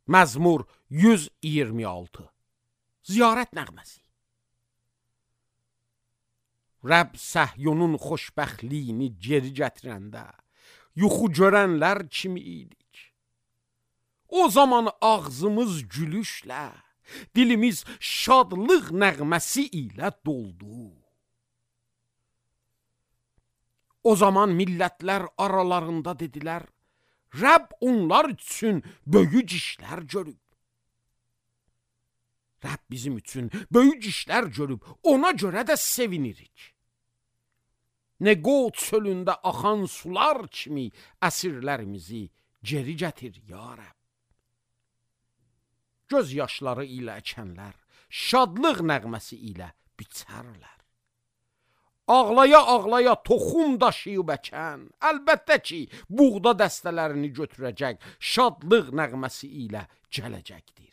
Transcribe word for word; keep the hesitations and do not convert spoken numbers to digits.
Məzmur yüz iyirmi altı. Ziyarət nəğməsi. Rəbb Səhyonun xoşbəxtliyini geri gətirəndə yuxu görənlər kimi idik. O zaman ağzımız gülüşlə, dilimiz şadlıq nəğməsi ilə doldu. O zaman millətlər aralarında dedilər, Rəbb onlar üçün böyük işlər görüb. Rəbb bizim üçün böyük işlər görüb, ona görə də sevinirik. Neqot çölündə axan sular kimi əsirlərimizi geri gətir, ya Rəbb. Göz yaşları ilə əkənlər, şadlıq nəğməsi ilə biçərlər. Ağlaya-ağlaya toxum daşıyıb əkən, əlbəttə ki, buğda dəstələrini götürəcək, şadlıq nəğməsi ilə gələcəkdir.